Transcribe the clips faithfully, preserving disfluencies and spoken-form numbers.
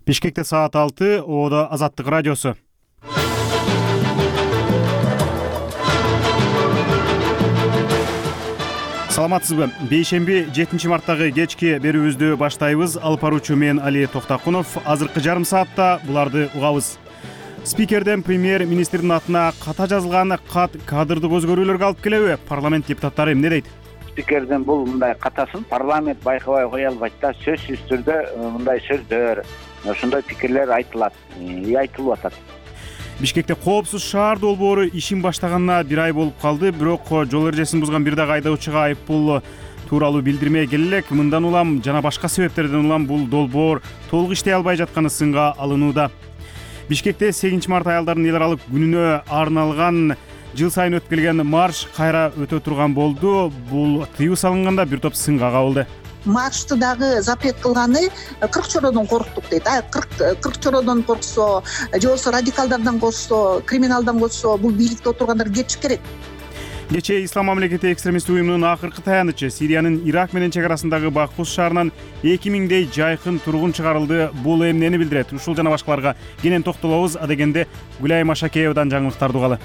Бишкекте саат алты, Оодо Азаттык радиосу. Саламатсызбы? Бейшемби жетинчи марттагы кечки берүүбүздү баштайбыз. Алып баруучу мен Али Токтакунов. Азыркы жарым саатта буларды угабыз. Спикерден премьер-министрдин атына ката жазылган кат кадрдык өзгөрүүлөргө алып келеби? Парламент депутаттары эмне дейт? Спикердин бул мындай катасын парламент байкабай кое албайт да. Сөзсүз түрдө мындай сөздөр, ошондой пикирлер айтылат, айтылып атат. Бишкекте коопсуз шаар долбоору ишин баштаганына бир ай болуп калды, бирок жол эрежесин бузган бир дагы айдоочуга айыппул тууралуу билдирме келе элек. Мындан улам жана башка себептерден улам бул долбоор толук иштей албай жатканы сынга алынууда. Бишкекте сегизинчи март аялдардын эл аралык күнүнө арналган жыл сайын өтүп келген марш кайра өтө турган болду. Бул тыюу салынганда бир топ сынга кабылды. Маршты дагы запрет кылганы кырк чородон корктук дейт. А кырк чородон корксо, же болбосо радикалдардан корксо, криминалдан корксо, бул бийликте отургандар кетиши керек. Кечээ Ислам мамлекети экстремисттик уюмунун акыркы таянычы Сириянын Ирак менен чек арасындагы Бакус шаарынан эки миңдей жайкын тургун чыгарылды. Бул эмнени билдирет? Ушул жана башкаларга кенен токтолобуз. Адегенде Гүлай Машакеевадан жаңылыктарды угалы.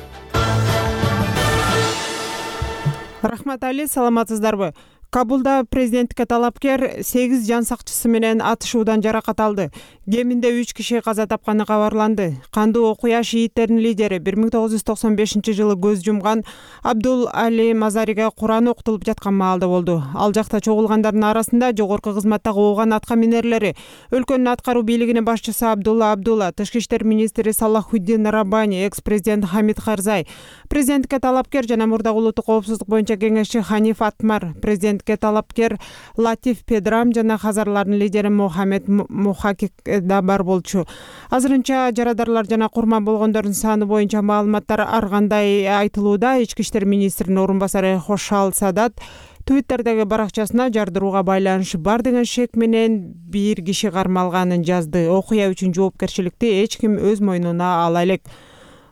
Рахмат Али, саламатсыздарбы? Кабулда президенттикке талапкер сегиз жан сакчысы менен атышуудан жаракат алды. Кеминде үч киши каза тапканы кабарланды. Кандуу окуя шииттердин лидери бир миң тогуз жүз токсон бешинчи жылы көз жумган Абдул Али Мазариге Куран окутулуп жаткан маалда болду. Ал жакта чогулгандардын арасында жогорку кызматтагы ооган атка минерлери, өлкөнүн аткаруу бийлигинин башчысы Абдулла Абдулла, тышкы иштер министри Салахуддин Раббани, экс-президент Хамид Карзай, президенттикке талапкер жана мурдагы улуттук коопсуздук боюнча кеңешчи Ханиф Атмар, президентке талапкер Латиф Педрам жана хазарлардын лидери Мухаммед Мухакик да бар болчу. Азырынча жарадарлар жана курман болгондордун саны боюнча маалыматтар ар кандай айтылууда. Ички иштер министринин орун басары Хошал Садат Твиттердеги баракчасына жардырууга байланышы бар деген шек менен бир киши кармалганын жазды. Окуя үчүн жоопкерчиликти эч ким өз мойнуна ала элек.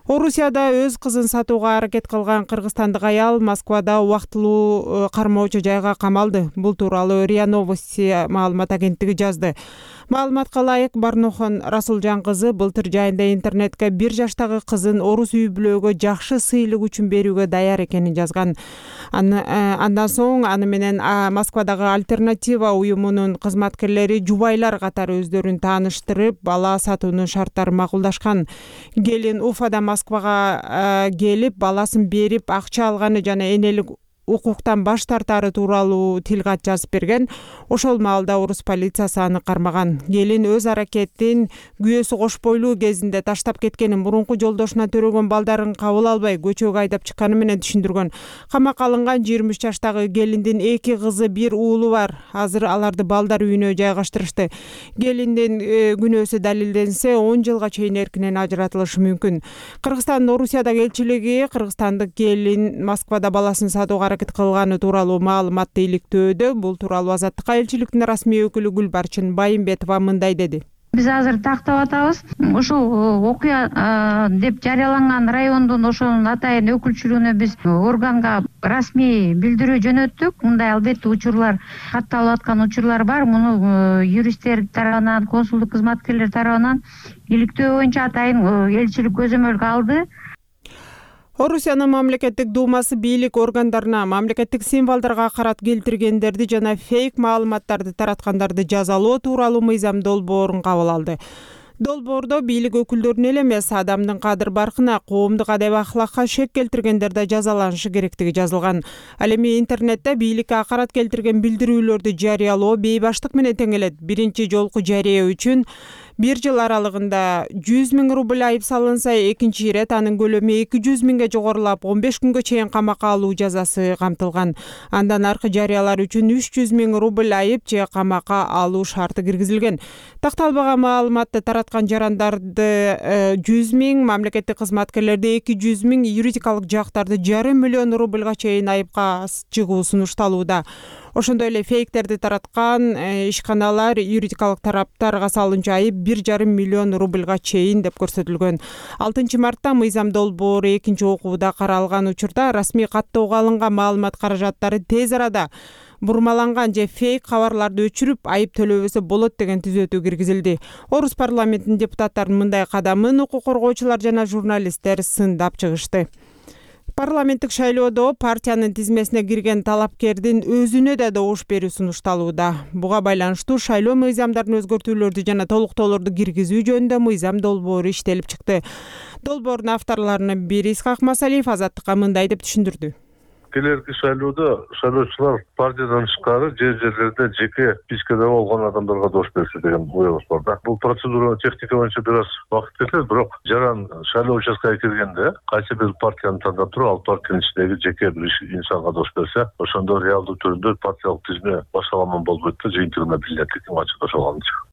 Орусияда өз кызын сатууга аракет кылган кыргызстандык аял Москвада убактылуу кармоочу жайга камалды. Бул тууралуу РИА Новости маалымат агенттиги жазды. Маалыматка ылайык, Барнохон Расулжан кызы былтыр жайында интернетке бир жаштагы кызын орус үй-бүлөгө жакшы сыйлык үчүн берүүгө даяр экенин жазган. Андан соң аны менен Москвадагы Альтернатива уюмунун кызматкерлери жубайлар катары өздөрүн тааныштырып, бала сатуунун шарттарын макулдашкан. Келин Уфада Москвага келип, баласын берип, акча алганы жана энелик укуктан баш тартары тууралуу тилкат жазып берген. Ошол маалда орус полициясы аны кармаган. Келин өз аракетин күйөөсү кош бойлуу кезинде таштап кеткенин, мурунку жолдошуна төрөгөн балдарын кабыл албай көчөгө айдап чыкканы менен түшүндүргөн. Камакка алынган жыйырма үч жаштагы келиндин эки кызы, бир уулу бар. Азыр аларды балдар үйүнө жайгаштырышты. Келиндин күнөөсү далилденсе, он жылга чейин эркинен ажыратылышы мүмкүн. Кыргызстандын Орусиядагы элчилиги кыргызстандык келин Москвада баласын сатууга аракет кылганы тууралуу маалыматты иликтөөдө. Бул тууралуу Азаттыкка элчиликтин расмий өкүлү Гүлбарчын Байымбетова мындай деди. Биз азыр тактап атабыз. Ушул окуя деп жарыяланган райондун ошонун атайын өкүлчүлүгүнө биз органга расмий билдирүү жөнөттүк. Мындай албетте учурлар, катталып аткан учурлар бар. Муну юристтер тарабынан, консулдук кызматкерлер тарабынан иликтөө боюнча атайын элчилик көзөмөлгө алды. Орусиянын мамлекеттик думасы бийлик органдарына мамлекеттик символдорго акарат келтиргендерди жана фейк маалыматтарды тараткандарды жазалоо тууралуу мыйзам долбоорун кабыл алды. Долбоордо бийлик өкүлдөрүнүн эле эмес, адамдын кадыр-баркына, коомдук адеп-ахлакка шек келтиргендер да жазаланышы керектиги жазылган. Ал эми интернетте бийликке акарат келтирген билдирүүлөрдү жарыялоо бейбаштык менен тең келет. Биринчи жолку жарыя үчүн бир жыл аралыгында жүз миң рубль айып салынса, экинчи ирет анын көлөмү эки жүз миңге жогорулап, он беш күнгө чейин камакка алуу жазасы камтылган. Андан аркы жарыялар үчүн үч жүз миң рубль айып же камакка алуу шарты киргизилген. Такталбаган маалыматты тараткан жарандарды жүз миң, мамлекеттик кызматкерлерди эки жүз миң, юридикалык жактарды жарым миллион рубльга чейин айыпка чыгуу сунушталууда. Ошондой эле фейктерди тараткан ишканалар юридикалык тараптарга салынчу айып бир жарым миллион рубльга чейин деп көрсөтүлгөн. алтынчы мартта мыйзам долбоору экинчи окууда каралган учурда расмий каттоого алынган маалымат каражаттары тез арада бурмаланган же фейк кабарларды өчүрүп айып төлөбөсө болот деген түзөтүү киргизилди. Орус парламентинин депутаттарынын мындай кадамын укук коргоочулар жана журналисттер сындап чыгышты. Парламенттик шайлоодо партиянын тизмесине кирген талапкердин өзүнө да добуш берүү сунушталууда. Буга байланыштуу шайлоо мыйзамдарын өзгөртүүлөрдү жана толуктоолорду киргизүү жөнүндө мыйзам долбоору иштелип чыкты. Долбоордун авторлорунун бири Исхак Масалиев Азаттыкка мындай деп түшүндүрдү. Келерки шайлоодо шайлоочулар партиядан тышкары жер жерлерде жеке спискеде болгон адамдарга добуш бериши деген оебуз бар да. Бул процедура техника боюнча бир аз убакыт кетет, бирок жаран шайлоо участкага киргенде кайсы бир партияны тандап туруп, ал партиянын ичиндеги жеке бир инсанга добуш берсе, ошондо реалдуу түрдө партиялык тизме башаламан болбойт да, жыйынтыгына билинет экен ачык ошолганча.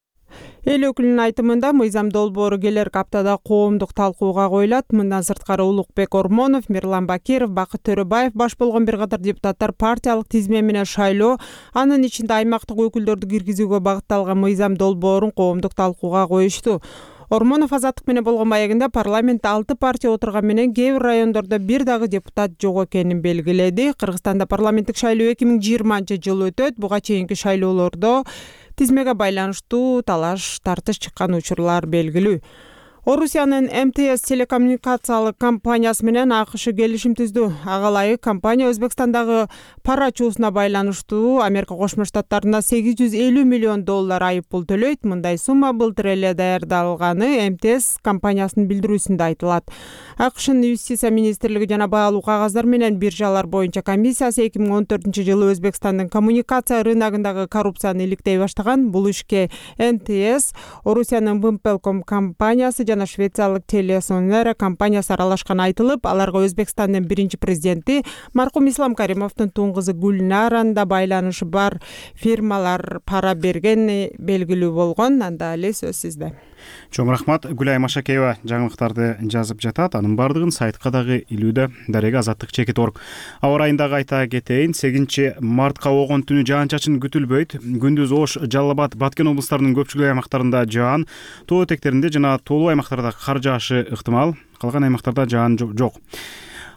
Эл өкүлүнүн айтымында мыйзам долбоору келерки аптада коомдук талкууга коюлат. Мындан сырткары Улукбек Ормонов, Мирлан Бакиров, Бакыт Төрөбаев баш болгон бир катар депутаттар партиялык тизме менен шайлоо, анын ичинде аймактык өкүлдөрдү киргизүүгө багытталган мыйзам долбоорун коомдук талкууга коюшту. Ормонов Азаттык менен болгон маегинде парламентте алты партия отурган менен кээ бир райондордо бир дагы депутат жок экенин белгиледи. Кыргызстанда парламенттик шайлоо эки миң жыйырманчы жылы өтөт. Буга чейинки шайлоолордо тизмеге байланыштуу талаш тартыш чыккан учурлар белгилүү. Орусиянын эм тэ эс телекоммуникациялык компаниясы менен АКШ келишим түздү. Ага ылайык компания Өзбекстандагы пара чуусуна байланыштуу Америка Кошмо Штаттарына сегиз жүз элүү миллион доллар айып пул төлөйт. Мындай сумма былтыр эле даярдалганы эм тэ эс компаниясынын билдирүүсүндө айтылат. АКШнын юстиция министрлиги жана баалуу кагаздар менен биржалар боюнча комиссиясы эки миң он төртүнчү жылы Өзбекстандын коммуникация рыногундагы коррупцияны иликтей баштаган. Бул ишке эм тэ эс, Орусиянын Вымпелком компаниясы жана швециялык Телесонера компаниясы аралашканы айтылып, аларга Өзбекстандын биринчи президенти маркум Ислам Каримовдун тууң кызы Гүлнаранын да байланышы бар фирмалар пара бергени белгилүү болгон. Анда эле сөз сизде. Чоң рахмат. Гүлай Машакеева жаңылыктарды жазып жатат. Анын бардыгын сайтка дагы илүүдө. Дарега Азаттык чекит орг. Аба ырайындагы айта кетейин, сегизинчи мартка огон түнү жаан-чачын күтүлбөйт. Күндүз Ош, Жалал Абад, Баткен облустарынын көпчүлүк аймактарында жаан, тоо этектеринде жана тоолуу аймактарда кар жаашы ыктымал. Калган аймактарда жаан жок.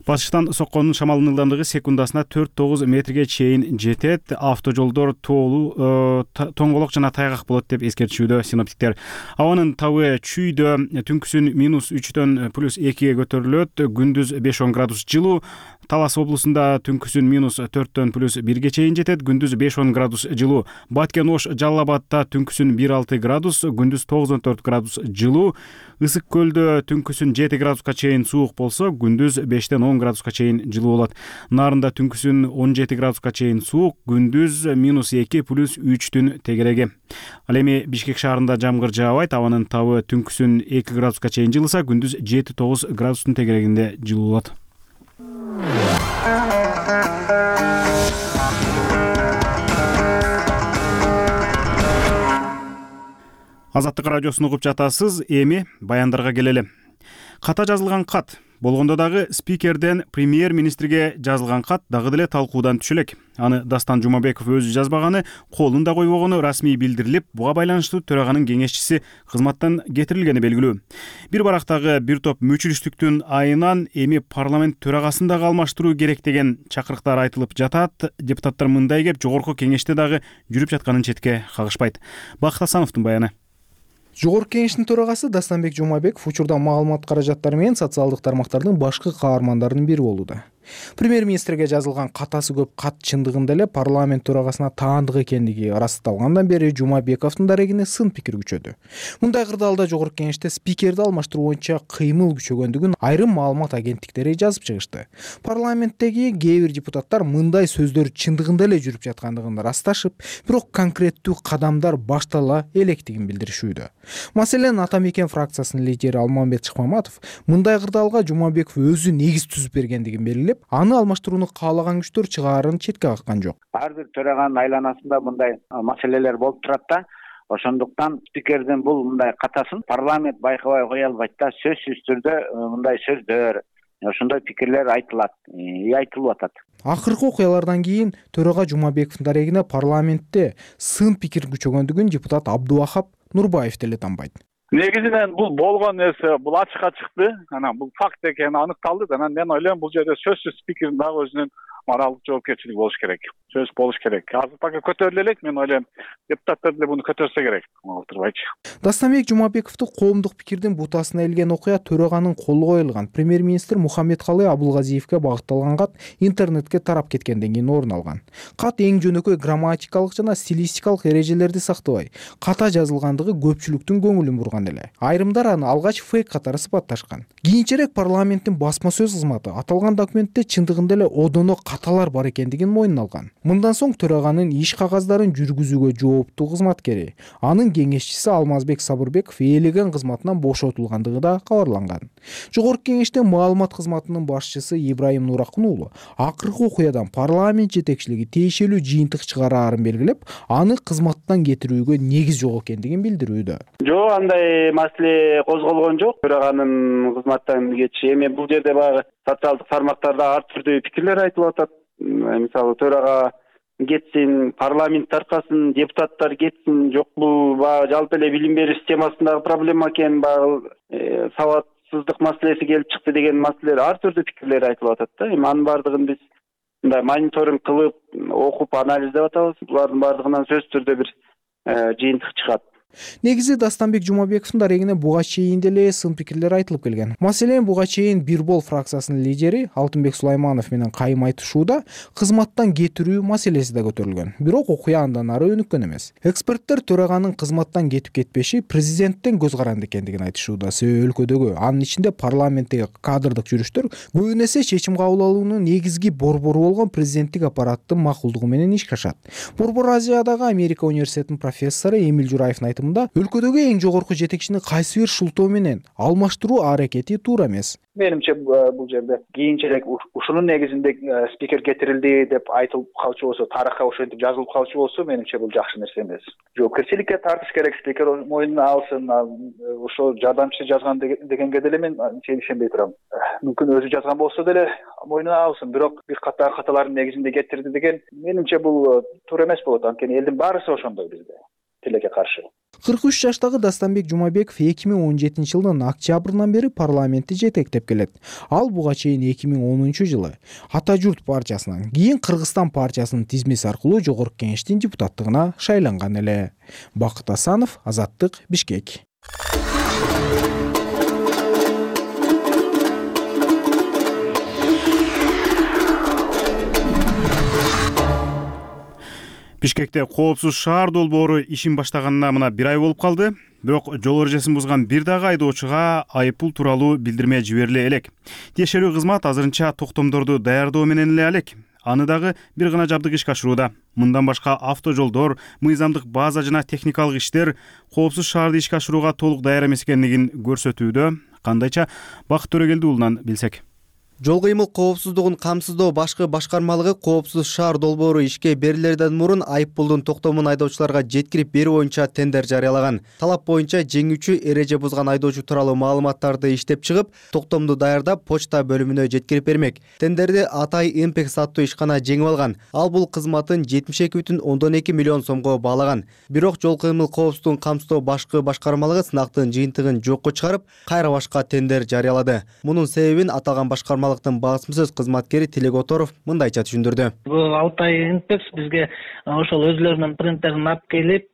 Батыштан соккон шамалдын ылдамдыгы секундасына төрт тогуз метрге чейин жетет. Автожолдор тоолуу, тоңголок жана тайгак болот деп эскертишүүдө синоптиктер. Абанын табы чүйдө түнкүсүн минус үчтөн плюс экиге көтөрүлөт. Күндүз беш он градус жылуу. Талас облусунда түнкүсүн минус төрттөн плюс бирге чейин жетет. Күндүз беш он градус жылуу. Баткен, Ош, Жалал Абадта түнкүсүн бир алты градус, күндүз тогуз төрт градус жылуу. Ысык көлдө түнкүсүн жети градуска чейин суук болсо, күндүз бештен он градуска чейин жылуу болот. Нарында түнкүсүн он жети градуска чейин суук, күндүз минус эки плюс үчтүн тегереги. Ал эми Бишкек шаарында жамгыр жаабайт. Абанын табы түнкүсүн эки градуска чейин жылыса, күндүз жети тогуз градустун тегерегинде жылуу болот. Азаттык радиосун угуп жатасыз. Эми баяндарга келели. Ката жазылган кат болгондо дагы спикерден премьер-министрге жазылган кат дагы деле талкуудан түшө элек. Аны Дастан Жумабеков өзү жазбаганы, колун да койбогону расмий билдирилип, буга байланыштуу төраганын кеңешчиси кызматтан кетирилгени белгилүү. Бир барактагы бир топ мүчүлүштүктүн айынан эми парламент төрагасын дагы алмаштыруу керек деген чакырыктар айтылып жатат. Депутаттар мындай кеп жогорку кеңеште дагы жүрүп жатканын четке кагышпайт. Бакыт Асановдун баяны. Жогорку кеңештин төрагасы Дастанбек Жумабеков учурда маалымат каражаттары менен социалдык тармактардын башкы каармандарынын бири болууда. Премьер-министрге жазылган катасы көп кат чындыгында эле парламент төрагасына таандык экендиги ырасталгандан бери Жумабековдун дарегине сын пикир күчөдү. Мындай кырдаалда жогорку кеңеште спикерди алмаштыруу боюнча кыймыл күчөгөндүгүн айрым маалымат агенттиктери жазып чыгышты. Парламенттеги кээ бир депутаттар мындай сөздөр чындыгында эле жүрүп жаткандыгын ырасташып, бирок конкреттүү кадамдар баштала электигин билдиришүүдө. Маселен, Атамекен фракциясынын лидери Алмамбет Шыкмаматов мындай кырдаалга Жумабеков өзү негиз түзүп бергендигин белгилеп, аны алмаштырууну каалаган күчтөр чыгаарын четке каккан жок. Ар бир төраганын айланасында мындай маселелер болуп турат да. Ошондуктан спикердин бул мындай катасын парламент байкабай кое албайт да. Сөзсүз түрдө мындай сөздөр, ошондой пикирлер айтылат, айтылып атат. Акыркы окуялардан кийин төрага Жумабековдун дарегине парламентте сын пикир күчөгөндүгүн депутат Абдувахап Нурбаев деле танбайт. Негизинен бул болгон нерсе, бул ачыкка чыкты. Анан бул факт экени аныкталды. Анан мен ойлойм, бул жерде сөзсүз спикердин дагы өзүнүн моралдык жоопкерчилиги болуш керек. сөз болуш керек. Азыр пока көтөрүлө элек, мен ойлойм, депутаттар деле буну көтөрсө керек.Алтырбайчы. Дастамбек Жумабековду коомдук пикирдин бутасына илген окуя төраганын колу коюлган премьер-министр Мухаммедкалый Абулгазиевге багытталган кат интернетке тарап кеткенден кийин орун алган. Кат эң жөнөкөй грамматикалык жана стилистикалык эрежелерди сактабай, ката жазылгандыгы көпчүлүктүн көңүлүн бурган эле. Айрымдар аны алгач фейк катары сыпатташкан. Кийинчерээк парламенттин басма сөз кызматы аталган документте чындыгында эле одоно каталар бар экендигин мойнуна алган. Мындан соң төраганын иш кагаздарын жүргүзүүгө жооптуу кызматкери, анын кеңешчиси Алмазбек Сабырбеков ээлеген кызматынан бошотулгандыгы да кабарланган. Жогорку кеңеште маалымат кызматынын башчысы Ибраим Нуракун уулу акыркы окуядан парламент жетекчилиги тиешелүү жыйынтык чыгараарын белгилеп, аны кызматтан кетирүүгө негиз жок экендигин билдирүүдө. Жок, андай маселе козголгон жок. Төраганын кызматтан кетиши эми бул жерде баягы социалдык тармактарда ар түрдүү пикирлер айтылып атат. Мисалы төрага кетсин, парламент таркасын, депутаттар кетсин, жокпу, баягы жалпы эле билим берүү системасындагы проблема экен, баягы сабатсыздык маселеси келип чыкты деген маселелер, ар түрдүү пикирлер айтылып атат да. Эми анын баардыгын биз мындай мониторинг кылып, окуп, анализдеп атабыз. Булардын баардыгынан сөзсүз түрдө бир жыйынтык чыгат. Негизи Дастамбек Жумабековдун дарегине буга чейин деле сын пикирлер айтылып келген. Маселен, буга чейин Бир бол фракциясынын лидери Алтынбек Сулайманов менен кайым айтышууда кызматтан кетирүү маселеси да көтөрүлгөн. Бирок окуя андан ары өнүккөн эмес. Эксперттер төраганын кызматтан кетип кетпеши президенттен көз каранды экендигин айтышууда. Себеби өлкөдөгү, анын ичинде парламенттеги кадрдык жүрүштөр көбүн эсе чечим кабыл алуунун негизги борбору болгон президенттик аппараттын макулдугу менен ишке ашат. Борбор Азиядагы Америка университетинин профессору Эмил Жураевдин айтымында өлкөдөгү эң жогорку жетекчини кайсы бир шултоо менен алмаштыруу аракети туура эмес. Менимче бул жерде кийинчерээк ушунун негизинде спикер кетирилди деп айтылып калчу болсо, тарыхка ошентип жазылып калчу болсо, менимче бул жакшы нерсе эмес. Жоопкерчиликке тартыш керек, спикер мойнуна алсын, ошо жардамчысы жазган дегенге деле мен ишенбей турам. Мүмкүн өзү жазган болсо деле мойнуна алсын, бирок бир ката каталардын негизинде кетирди деген менимче бул туура эмес болот. Анткени элдин баарысы ошондой бизде. Тилекке каршы. кырк үч жаштагы Дастамбек Жумабеков эки миң он жетинчи жылдын октябрынан бери парламентти жетектеп келет. Ал буга чейин эки миң онунчу жылы Ата журт партиясынан, кийин Кыргызстан партиясынын тизмеси аркылуу жогорку кеңештин депутаттыгына шайланган эле. Бакыт Асанов, Азаттык, Бишкек. Бишкекте коопсуз шаар долбоору ишин баштаганына мына бир ай болуп калды. Бирок жол эрежесин бузган бир дагы айдоочуга айыппул тууралуу билдирме жибериле элек. Тиешелүү кызмат азырынча токтомдорду даярдоо менен эле алек. Аны дагы бир гана жабдык ишке ашырууда. Мындан башка автожолдор, мыйзамдык база жана техникалык иштер коопсуз шаарды ишке ашырууга толук даяр эмес экендигин көрсөтүүдө. Кандайча, Бакыт Төрөгелди уулунан билсек. Жол кыймыл коопсуздугун камсыздоо башкы башкармалыгы коопсуз шаар долбоору ишке берилерден мурун айыппулдун токтомун айдоочуларга жеткирип берүү боюнча тендер жарыялаган. Талап боюнча жеңүүчү эреже бузган айдоочу тууралуу маалыматтарды иштеп чыгып, токтомду даярдап почта бөлүмүнө жеткирип бермек. Тендерди Атай Импекс аттуу ишкана жеңип алган. Ал бул кызматын жетимиш эки бүтүн ондон эки миллион сомго баалаган. Бирок жол кыймыл коопсуздугун камсыздоо башкы башкармалыгы сынактын жыйынтыгын жокко чыгарып, кайра башка тендер жарыялады. Мунун себебин аталган башкарма басма сөз кызматкери Тилек Оторов мындайча түшүндүрдү. Бул Алтай Инпекс бизге ошол өзлөрүнүн принтерин алып келип,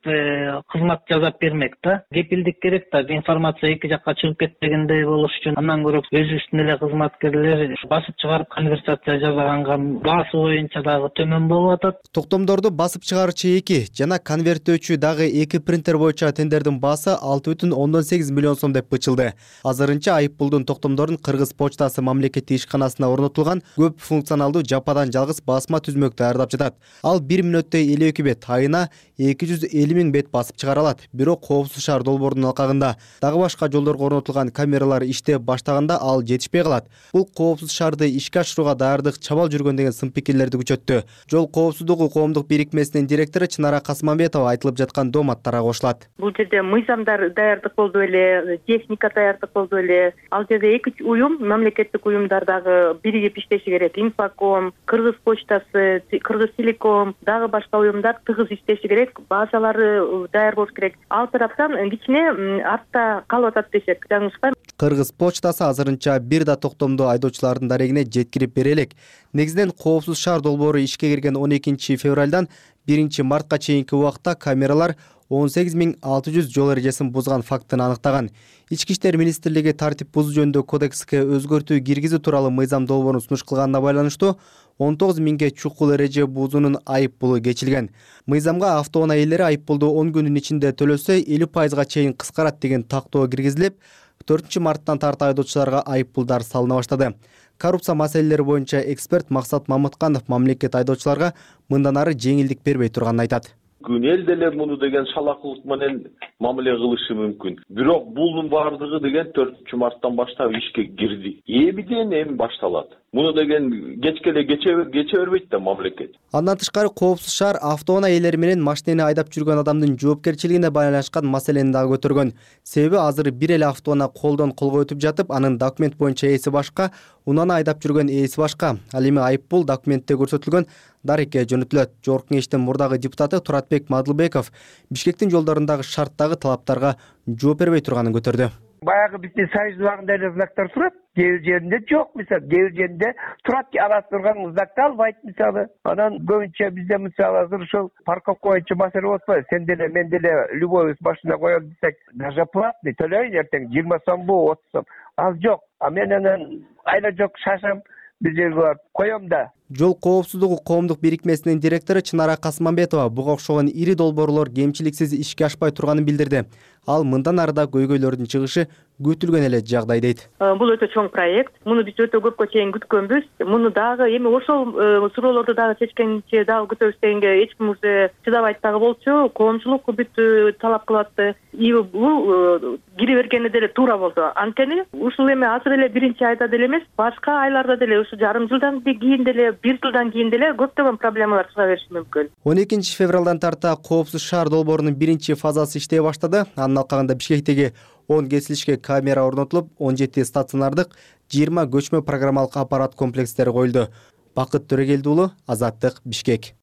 кызмат жасап бермек да. Кепилдик керек да, информация эки жакка чыгып кетпегендей болуш үчүн. Андан көрө өзүбүздүн эле кызматкерлер басып чыгарып конверсация жасаганга баасы боюнча дагы төмөн болуп атат. Токтомдорду басып чыгарчы эки жана конверттөөчү дагы эки принтер боюнча тендердин баасы алты бүтүн ондон сегиз миллион сом деп бычылды. Азырынча айыппулдун токтомдорун Кыргыз почтасы мамлекеттик ишканасына орнотулган көп функционалдуу жападан жалгыз басма түзмөк даярдап жатат. Ал бир мүнөттө элүү эки бет, айына эки жүз элүү миң бет басып чыгара алат. Бирок коопсуз шаар долбоорунун алкагында дагы башка жолдорго орнотулган камералар иштеп баштаганда ал жетишпей калат. Бул коопсуз шаарды ишке ашырууга даярдык чабал жүргөн деген сын пикирлерди күчөттү. Жол коопсуздугу коомдук бирикмесинин директору Чынара Касмамбетова айтылып жаткан дооматтарга кошулат. Бул жерде мыйзамдар даярдык болду эле, техника даярдык болду эле. Ал жерде эки уюм, мамлекеттик уюмдар дагы биригип иштеши керек. Инфоком, Кыргыз почтасы, Кыргыз телеком, дагы башка уюмдар тыгыз иштеши керек. Базалары даяр болуш керек. Ал тараптан кичине артта калып атат десек жаңылышпайм. Кыргыз почтасы азырынча бир да токтомду айдоочулардын дарегине жеткирип бере элек. Негизинен коопсуз шаар долбоору ишке кирген он экинчи февралдан биринчи мартка чейинки убакта камералар он сегиз миң алты жүз жол эрежесин бузган фактын аныктаган. Ички иштер министрлиги тартип бузуу жөнүндө кодекске өзгөртүү киргизүү тууралуу мыйзам долбоорун сунуш кылганына байланыштуу он тогуз миңге чукул эреже бузуунун айып пулу кечилген. Мыйзамга автоунаа ээлери айып пулду он күндүн ичинде төлөсө элүү пайызга чейин кыскарат деген тактоо киргизилип, төртүнчү марттан тарта айдоочуларга айып пулдар салына баштады. Коррупция маселелери боюнча эксперт Максат Мамытканов мамлекет айдоочуларга мындан ары жеңилдик бербей турганын айтат. Эл деле муну деген шалакылык менен мамиле кылышы мүмкүн. Бирок бунун баардыгы деген төртүнчү марттан баштап ишке кирди. Эмиден эми башталат. Муну деген кечке эле кече бербейт да мамлекет. Андан тышкары коопсуз шаар автоунаа ээлери менен машинени айдап жүргөн адамдын жоопкерчилигине байланышкан маселени дагы көтөргөн. Себеби азыр бир эле автоунаа колдон колго өтүп жатып, анын документ боюнча ээси башка, унааны айдап жүргөн ээси башка. Ал эми айып пул документте көрсөтүлгөн дарекке жөнөтүлөт. Жогорку кеңештин мурдагы депутаты Туратбек Мадылбеков Бишкектин жолдорундагы шарттагы талаптарга жооп бербей турганын көтөрдү. Баягы биздин союз убагында эле знактар турат, кээ бир жеринде жок, мисалы, кээ бир жеринде турат, ага турган знакты албайт мисалы. Анан көбүнчө бизде мисалы азыр ушул парковка боюнча маселе болуп атпайбы? Сен деле, мен деле любой машина коелу десек, даже платный төлөйүн эртең жыйырма сомбу, отуз сом. Ал жок. А мен анан айла жок шашам бир жерге барып коем да. Жол коопсуздугу коомдук бирикмесинин директору Чынара Касманбетова буга окшогон ири долбоорлор кемчиликсиз ишке ашпай турганын билдирди. Ал мындан ары да көйгөйлөрдүн чыгышы күтүлгөн эле жагдай дейт. Бул өтө чоң проект. Муну биз өтө көпкө чейин күткөнбүз. Муну дагы эми ошол суроолорду дагы чечкенче дагы күтөбүз дегенге эч ким уже чыдабайт дагы болчу. Коомчулук бүт талап кылып атты. И бул кире бергени деле туура болду. Анткени ушул эми азыр эле биринчи айда деле эмес, башка айларда деле ушу жарым жылдан кийин деле бир жылдан кийин деле көптөгөн проблемалар чыга бериши мүмкүн. он экинчи февралдан тарта коопсуз шаар долбоорунун биринчи фазасы иштей баштады. Анын алкагында Бишкектеги он кесилишке камера орнотулуп, он жети стационардык, жыйырма көчмө программалык аппарат комплекстери коюлду. Бакыт Төрөгелди уулу, Азаттык, Бишкек.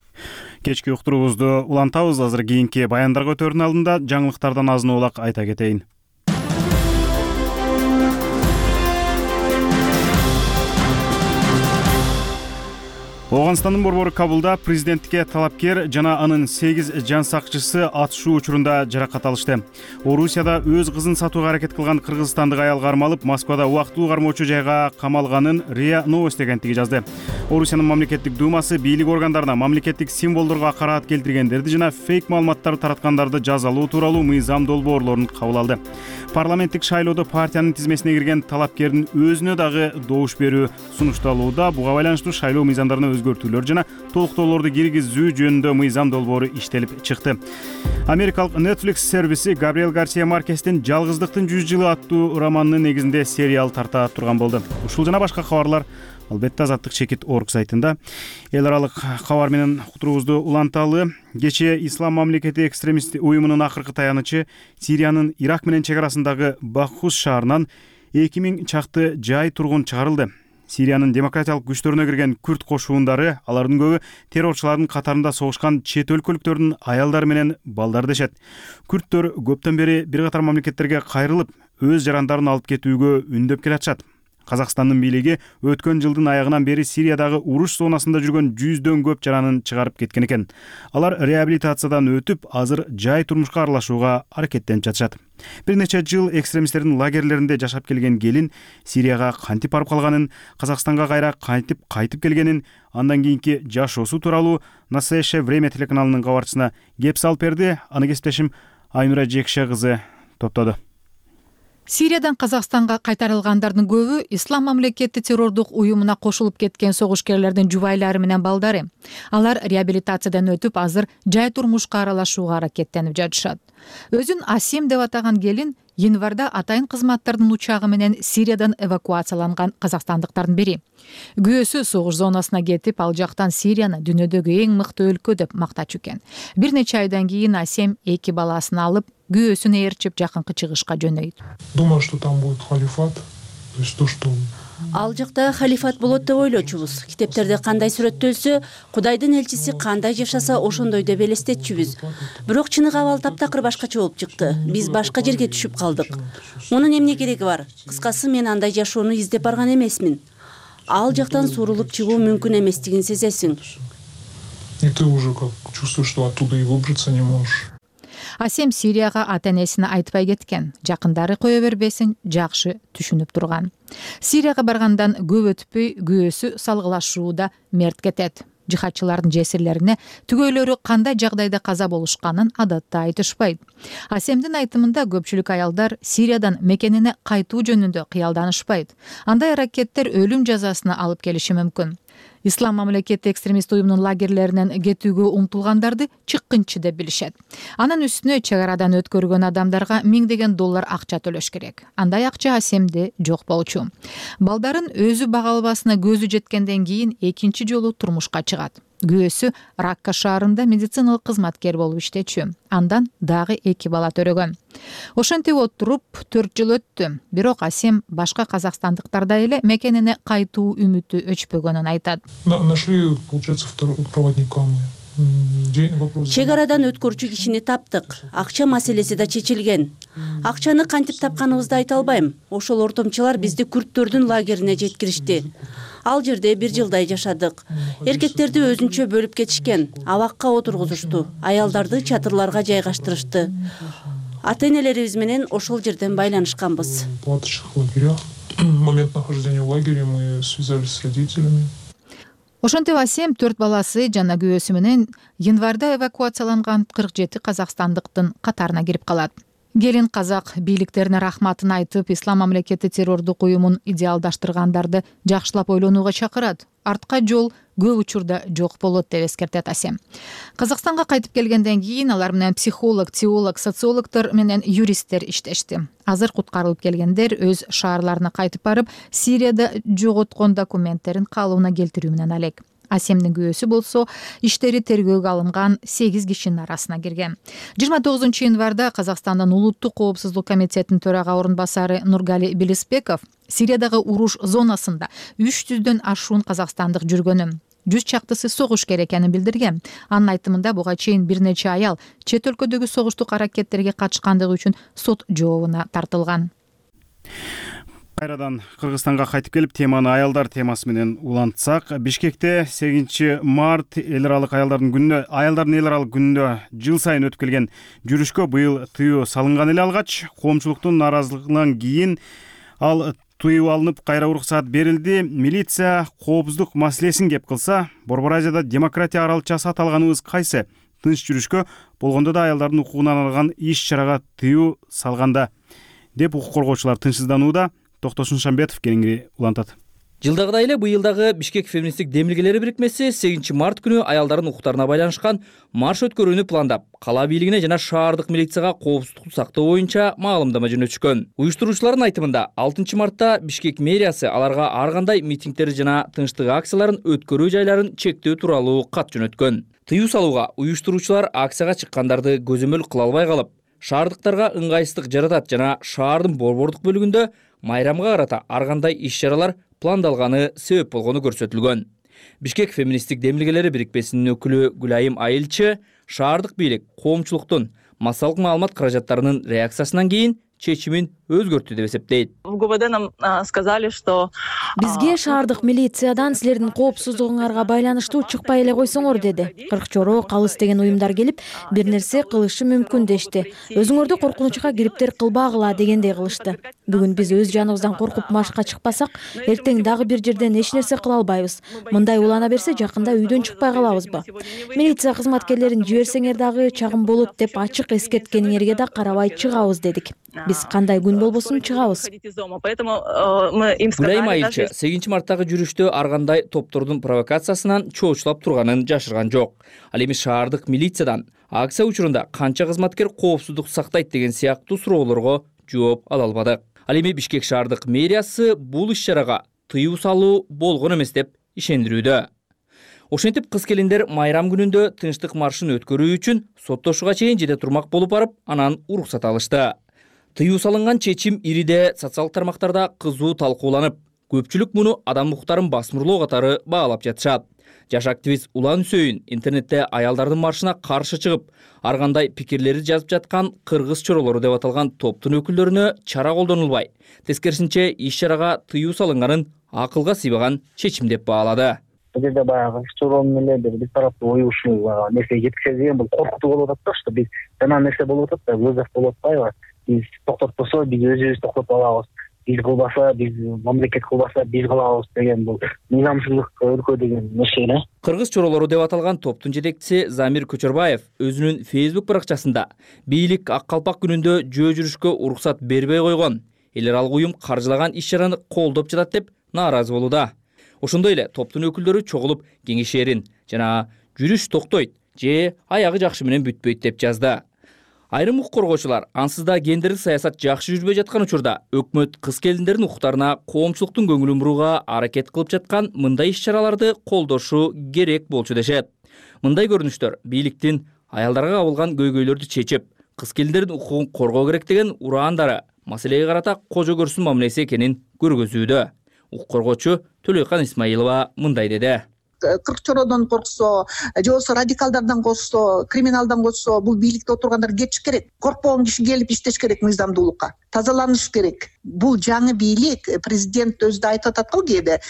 Кечки уктуруубузду улантабыз. Азыр кийинки баяндарга өтөрүнүн алдында жаңылыктардан азын оолак айта кетейин. Ооганстандын борбору Кабулда президенттикке талапкер жана анын сегиз жан сакчысы атышуу учурунда жаракат алышты. Орусияда өз кызын сатууга аракет кылган кыргызстандык аял кармалып, Москвада убактылуу кармоочу жайга камалганын РИА Новости агенттиги жазды. Орусиянын мамлекеттик думасы бийлик органдарына мамлекеттик символдорго акараат келтиргендерди жана фейк маалыматтарды тараткандарды жазалоо тууралуу мыйзам долбоорлорун кабыл алды. Парламенттик шайлоодо партиянын тизмесине кирген талапкердин өзүнө дагы добуш берүү сунушталууда. Буга байланыштуу шайлоо мыйзамдарына өзгөртүүлөр жана толуктоолорду киргизүү жөнүндө мыйзам долбоору иштелип чыкты. Америкалык Netflix сервиси Габриэль Гарсия Маркестин «Жалгыздыктын жүз жылы» аттуу романынын негизинде сериал тарта турган болду. Ушул жана башка кабарлар албетте Азаттык чекит орг сайтында. Эл аралык кабар менен уктуруубузду уланталы. Кечээ Ислам мамлекети экстремист уюмунун акыркы таянычы Сириянын Ирак менен чек арасындагы Бахус шаарынан эки миң чакты жай тургун чыгарылды. Сириянын демократиялык күчтөрүнө кирген күрд кошуундары алардын көбү террорчулардын катарында согушкан чет өлкөлүктөрдүн аялдары менен балдары дешет. Күрдтөр көптөн бери бир катар мамлекеттерге кайрылып, өз жарандарын алып кетүүгө үндөп келатышат. Казакстандын бийлиги өткөн жылдын аягынан бери Сириядагы уруш зонасында жүргөн жүздөн көп жаранын чыгарып кеткен экен. Алар реабилитациядан өтүп, азыр жай турмушка аралашууга аракеттенип жатышат. Бир нече жыл экстремисттердин лагерлеринде жашап келген келин Сирияга кантип барып калганын, Казакстанга кайра кантип кайтып келгенин, андан кийинки жашоосу тууралуу «Настоящее время» телеканалынын кабарчысына кеп салып берди. Аны кесиптешим Айнура Жекше кызы топтоду. Сириядан Казакстанга кайтарылгандардын көбү Ислам мамлекети террордук уюмуна кошулуп кеткен согушкерлердин жубайлары менен балдары. Алар реабилитациядан өтүп, азыр жай турмушка аралашууга аракеттенип жатышат. Өзүн Асим деп атаган келин январда атайын кызматтардын учагы менен Сириядан эвакуацияланган казакстандыктардын бири. Күйөөсү согуш зонасына кетип, ал жактан Сирияны дүйнөдөгү эң мыкты өлкө деп мактачу экен. Бир нече айдан кийин Асим эки баласын алып, күйөөсүн ээрчип жакынкы чыгышка жөнөйт. Думаю, что там будет халифат, то есть то, что Ал жакта халифат болот деп ойлочубуз. Китептерде кандай сүрөттөлсө, Кудайдын элчиси кандай жашаса ошондой деп элестетчүбүз. Бирок чыныгы абал таптакыр башкача болуп чыкты. Биз башка жерге түшүп калдык. Мунун эмне кереги бар? Кыскасы, мен андай жашоону издеп барган эмесмин. Ал жактан сурулуп чыгуу мүмкүн эместигин сезесиң. И ты уже как чувствуешь, что оттуда и выбраться не можешь. Асем Сирияга ата-энесине айтпай кеткен. Жакындары кое бербесин жакшы түшүнүп турган. Сирияга баргандан көп өтпөй күйөөсү салгылашууда мерт кетет. Жихадчылардын жесирлерине түгөйлөрү кандай жагдайда каза болушканын адатта айтышпайт. Асемдин айтымында көпчүлүк аялдар Сириядан мекенине кайтуу жөнүндө кыялданышпайт. Андай аракеттер өлүм жазасына алып келиши мүмкүн. Ислам мамлекети экстремист уюмунун лагерлеринен кетүүгө умтулгандарды чыккынчы деп билишет. Анын үстүнө чек арадан өткөргөн адамдарга миңдеген доллар акча төлөш керек. Андай акча Асемде жок болчу. Балдарын өзү бага албасына көзү жеткенден кийин экинчи жолу турмушка чыгат. Күйөөсү Ракка шаарында медициналык кызматкер болуп иштечү. Андан дагы эки бала төрөгөн. Ошентип отуруп төрт жыл өттү. Бирок Асем башка казакстандыктардай эле мекенине кайтуу үмүтү өчпөгөнүн айтат. Нашли, получается, второго проводника мне. Чек арадан өткөрчү кишини таптык. Акча маселеси да чечилген. Акчаны кантип тапканыбызды айта албайм. Ошол ортомчулар бизди күрттөрдүн лагерине жеткиришти. Ал жерде бир жылдай жашадык. Эркектерди өзүнчө бөлүп кетишкен. Абакка отургузушту. Аялдарды чатырларга жайгаштырышты. Ата-энелерибиз менен ошол жерден байланышканбыз. В палаточных лагерях. В момент нахождения в лагере мы связались с родителями. Ошентип Асем төрт баласы жана күйөөсү менен январда эвакуацияланган кырк жети казакстандыктын катарына кирип калат. Келин казак бийликтерине рахматын айтып, Ислам мамлекети террордук уюмун идеалдаштыргандарды жакшылап ойлонууга чакырат. Артка жол көп учурда жок болот деп эскертет Асем. Казакстанга кайтып келгенден кийин алар менен психолог, теолог, социологдор менен юристтер иштешти. Азыр куткарылып келгендер өз шаарларына кайтып барып, Сирияда жоготкон документтерин калыбына келтирүү менен алек. Асемдин күйөөсү болсо иштери тергөөгө алынган сегиз кишинин арасына кирген. жыйырма тогузунчу январда Казакстандын улуттук коопсуздук комитетинин төрага орун басары Нургали Белисбеков Сириядагы уруш зонасында үч жүздөн ашуун казакстандык жүргөнүн, жүз чактысы согушкер экенин билдирген. Анын айтымында буга чейин бир нече аял чет өлкөдөгү согуштук аракеттерге катышкандыгы үчүн сот жообуна тартылган. Кайрадан Кыргызстанга кайтып келип, теманы аялдар темасы менен улантсак, Бишкекте сегизинчи март эл аралык аялдардын күнүнө, аялдардын эл аралык күнүнө жыл сайын өтүп келген жүрүшкө быйыл тыюу салынган эле алгач, коомчулуктун нааразылыгынан кийин ал тыюу алынып, кайра уруксаат берилди. Милиция коопсуздук маселесин кеп кылса, Борбор Азияда демократия аралчасы аталганыбыз кайсы? Тынч жүрүшкө болгондо да аялдардын укугуна арналган иш-чарага тыюу салганда деп укук коргоочулар тынчсызданууда. Токтосун Шамбетов кеңири улантат. Жылдагыдай эле быйыл дагы Бишкек феминисттик демилгелери бирикмеси сегизинчи март күнү аялдардын укуктарына байланышкан марш өткөрүүнү пландап, кала бийлигине жана шаардык милицияга коопсуздукту сактоо боюнча маалымдама жөнөтүшкөн. Уюштуруучулардын айтымында алтынчы мартта Бишкек мэриясы аларга ар кандай митингдер жана тынчтык акцияларын өткөрүү жайларын чектөө тууралуу кат жөнөткөн. Тыюу салууга уюштуруучулар акцияга чыккандарды көзөмөл кыла албай калып, шаардыктарга ыңгайсыздык жаратат жана шаардын борбордук бөлүгүндө майрамга карата ар кандай иш-чаралар пландалганы себеп болгону көрсөтүлгөн. Бишкек феминисттик демилгелери бирикмесинин өкүлү Гүлайым Айылчы шаардык бийлик коомчулуктун массалык маалымат каражаттарынын реакциясынан кийин чечимин өзгөрттү деп эсептейт. В ГУВД нам сказали, что бизге шаардык милициядан силердин коопсуздугуңарга байланыштуу чыкпай эле койсоңор деди. Кыркчоро, Калыс деген уюмдар келип, бир нерсе кылышы мүмкүн дешти. Өзүңөрдү коркунучка кириптер кылбагыла дегендей кылышты. Бүгүн биз өз жаныбыздан коркуп машка чыкпасак, эртең дагы бир жерден эч нерсе кыла албайбыз. Мындай улана берсе, жакында үйдөн чыкпай калабызбы? Милиция кызматкерлерин жиберсеңер дагы чагым болот деп ачык эскерткениңерге да карабай чыгабыз дедик. Биз кандай күн болбосун чыгабыз. Гүлайым Айылчы сегизинчи марттагы жүрүштө ар кандай топтордун провокациясынан чоочулап турганын жашырган жок. Ал эми шаардык милициядан акция учурунда канча кызматкер коопсуздук сактайт деген сыяктуу суроолорго жооп ала албады. Ал эми Бишкек шаардык мэриясы бул иш-чарага тыюу салуу болгон эмес деп ишендирүүдө. Ошентип кыз келиндер майрам күнүндө тынчтык маршын өткөрүү үчүн соттошууга чейин жете турмак болуп барып, анан уруксат алышты. Тыюу салынган чечим ириде социалдык тармактарда кызуу талкууланып, көпчүлүк муну адам укуктарын басмырлоо катары баалап жатышат. Жаш активист Улан Үсөйүн интернетте аялдардын маршына каршы чыгып, ар кандай пикирлерди жазып жаткан кыргыз чоролору деп аталган топтун өкүлдөрүнө чара колдонулбай, тескерисинче иш-чарага тыюу салынганын акылга сыйбаган чечим деп баалады. Бул жерде баягы чорон менен биз тараптуу ою ушул нерсе жеткизе деген бул коркутуу болуп атат да, что биз жана нерсе болуп атат да, вызов болуп атпайбы? Биз токтотпосо биз өзүбүз токтотуп алабыз. Биз кылбаса, биз мамлекет кылбаса, биз кылабыз деген бул мыйзамчылык өлкө деген нерсе эле. Кыргыз чоролору деп аталган топтун жетекчиси Замир Көчөрбаев өзүнүн Facebook баракчасында бийлик ак калпак күнүндө жөө жүрүшкө уруксат бербей койгон, эл аралык уюм каржылаган иш-чараны колдоп жатат деп нааразы болууда. Ошондой эле топтун өкүлдөрү чогулуп кеңешерин жана жүрүш токтойт же аягы жакшы менен бүтпөйт деп жазды. Айрым укук коргоочулар ансыз да гендердик саясат жакшы жүрбөй жаткан учурда өкмөт кыз келиндердин укуктарына коомчулуктун көңүлүн бурууга аракет кылып жаткан мындай иш-чараларды колдошу керек болчу дешет. Мындай көрүнүштөр бийликтин аялдарга кабылган көйгөйлөрдү чечип, кыз келиндердин укугун коргоо керек деген ураандары маселеге карата кожо көрсүн мамилеси экенин көргөзүүдө. Укук коргоочу Төлөйкан Исмаилова мындай деди. Кырк чородон корксо, же болбосо радикалдардан корксо, криминалдан корксо, бул бийликте отургандар кетиш керек. Коркпогон киши келип иштеш керек мыйзамдуулукка. Тазаланыш керек. Бул жаңы бийлик, президент өзү да айтып атат го кээде,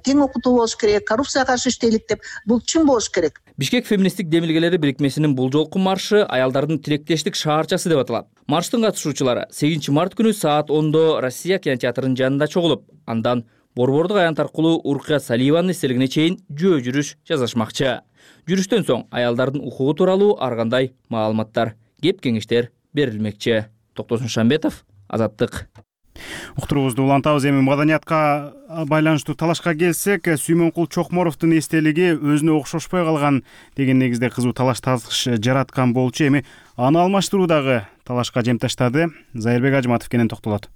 тең окутуу болуш керек, коррупцияга каршы иштейлик деп. Бул чын болуш керек. Бишкек феминисттик демилгелери бирикмесинин бул жолку маршы аялдардын тилектештик шаарчасы деп аталат. Марштын катышуучулары сегизинчи март күнү саат ондо Россия кинотеатрынын жанында чогулуп, андан Борбордук аянт аркылуу Уркия Салиеванын эстелигине чейин жөө жүрүш жасашмакчы. Жүрүштөн соң аялдардын укугу тууралуу ар кандай маалыматтар, кеп кеңештер берилмекчи. Токтосун Шамбетов, Азаттык. Уктурубузду улантабыз. Эми маданиятка байланыштуу талашка келсек, Сүймөнкул Чокморовдун эстелиги өзүнө окшошпой калган деген негизде кызуу талаш тартыш жараткан болчу. Эми аны алмаштыруудагы талашка жем таштады. Зайырбек Ажматов кенен токтолот.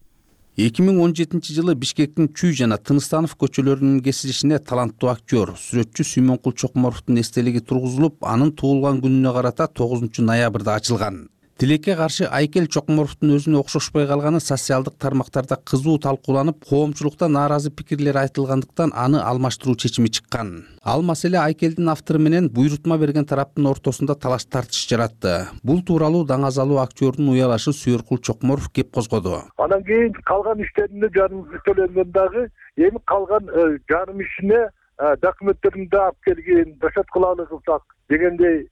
эки миң он жетинчи жылы Бишкектин Чүй жана Тыныстанов көчөлөрүнүн кесилишине таланттуу актер, сүрөтчү Сүймөнкул Чокморовдун эстелиги тургузулуп, анын туулган күнүнө карата тогузунчу ноябрда ачылган. Тилекке каршы Айкел Чокморовдун өзүнө окшошпой калганы социалдык тармактарда кызуу талкууланып, коомчулукта нааразы пикирлер айтылгандыктан аны алмаштыруу чечими чыккан. Ал маселе Айкелдин автору менен буйрутма берген тараптын ортосунда талаш тартыш жаратты. Бул тууралуу даңазалуу актёрдун уялашы Сүйөркул Чокморов кеп козгоду. Анан кийин калган иштерине жарым төлөнгөн дагы, эми калган жарым ишине документтеринде алып келген, дашат кылалы кылсак дегендей,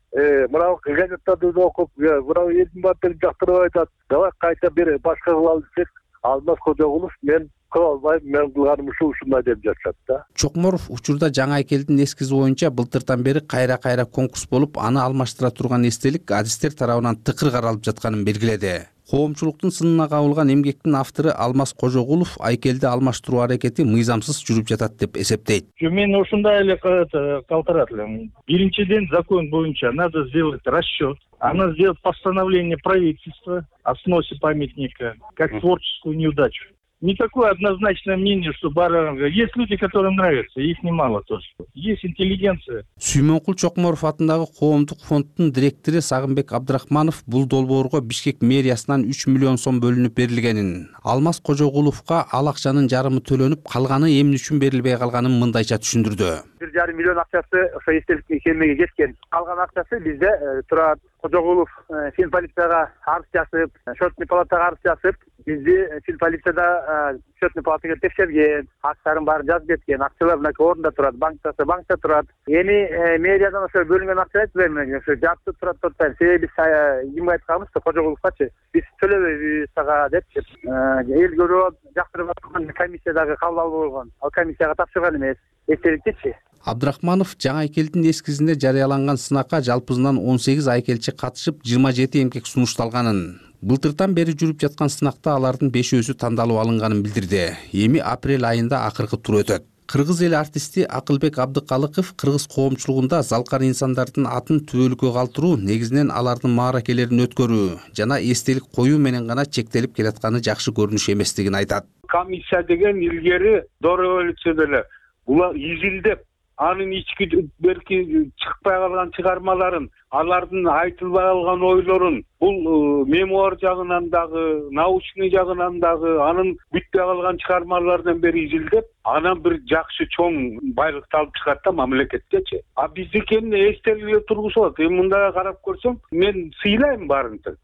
мына газеттарды да окуп, мына элдин баарын жактырып айтат. Давай кайта бир башка кылалы десек, Алмаз Кожогулов мен кыла албайм, мен кылганым ушул ушундай деп жатышат да. Чокморов учурда жаңы Айкелдин эскизи боюнча былтырдан бери кайра-кайра конкурс болуп, аны алмаштыра турган эстелик адистер тарабынан тыкыр каралып жатканын белгиледи. Коомчулуктун сынына кабылган эмгектин автору Алмаз Кожогулов Айкелди алмаштыруу аракети мыйзамсыз жүрүп жатат деп эсептейт. Мен ушундай эле калтырат элем. Биринчиден, закон боюнча надо сделать расчет, надо сделать постановление правительства о сносе памятника как творческую неудачу. Не такое однозначное мнение, что Баранга. Есть люди, которым нравится, их немало тоже. Есть интеллигенция. Сүймөнкул Чокморов атындагы коомдук фонддун директору Сагынбек Абдрахманов бул долбоорго Бишкек мэриясынан үч миллион сом бөлүнүп берилгенин, Алмаз Кожогуловго ал акчанын жарымы төлөнүп, калганы эмне үчүн берилбей калганын мындайча түшүндүрдү. бир жарым миллион акчасы ошо эстеликке келмеге кеткен. Калган акчасы бизде турат. Кожогулов фин полицияга арыз жазып, счетный палатага арыз жазып, бизди фин полицияда счетный палатага текшерген, актарын баарын жазып кеткен, акчалар мынакей орунда турат, банктасы банкта турат. Эми мэриядан ошо бөлүнгөн акча айтып бермеген, ошо жатып турат токтойм. Себеби биз кимге айтканбыз, Кожогуловгачы, биз төлөбөйбүз сага деп, эл көрүп жактырып аткан комиссиядагы кабыл албай койгон. Ал комиссияга тапшырган эмес. Эстеликтичи. Абдрахманов жаңы Айкелдин эскизинде жарыяланган сынакка жалпысынан он сегиз айкелчи катышып, жыйырма жети эмгек сунушталганын, былтырдан бери жүрүп жаткан сынакта алардын бешөөсү тандалып алынганын билдирди. Эми апрель айында акыркы тур өтөт. Кыргыз эл артисти Акылбек Абдыкалыков кыргыз коомчулугунда залкар инсандардын атын түбөлүккө калтыруу, негизинен алардын мааракелерин өткөрүү жана эстелик коюу менен гана чектелип келатканы жакшы көрүнүш эместигин айтат. Комиссия деген илгери до революцияда эле булар изилдеп анын ички берки чыкпай калган чыгармаларын, алардын айтылбай калган ойлорун, бул мемуар жагынан дагы, научный жагынан дагы, анын бүтпөй калган чыгармаларынан бери изилдеп, анан бир жакшы чоң байлыкты алып чыгат да мамлекеткечи. А биздикин эстеликке тургузулат. Эми мындай карап көрсөм, мен сыйлайм баарынча.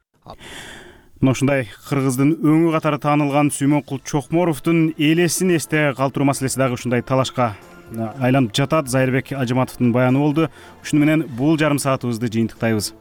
Мына ушундай кыргыздын өңү катары таанылган Сүймөнкул Чокморовдун элесин эсте калтыруу маселеси дагы ушундай талашка айланып жатат. Зайырбек Ажыматовдун баяны болду. Ушуну менен бул жарым саатыбызды жыйынтыктайбыз.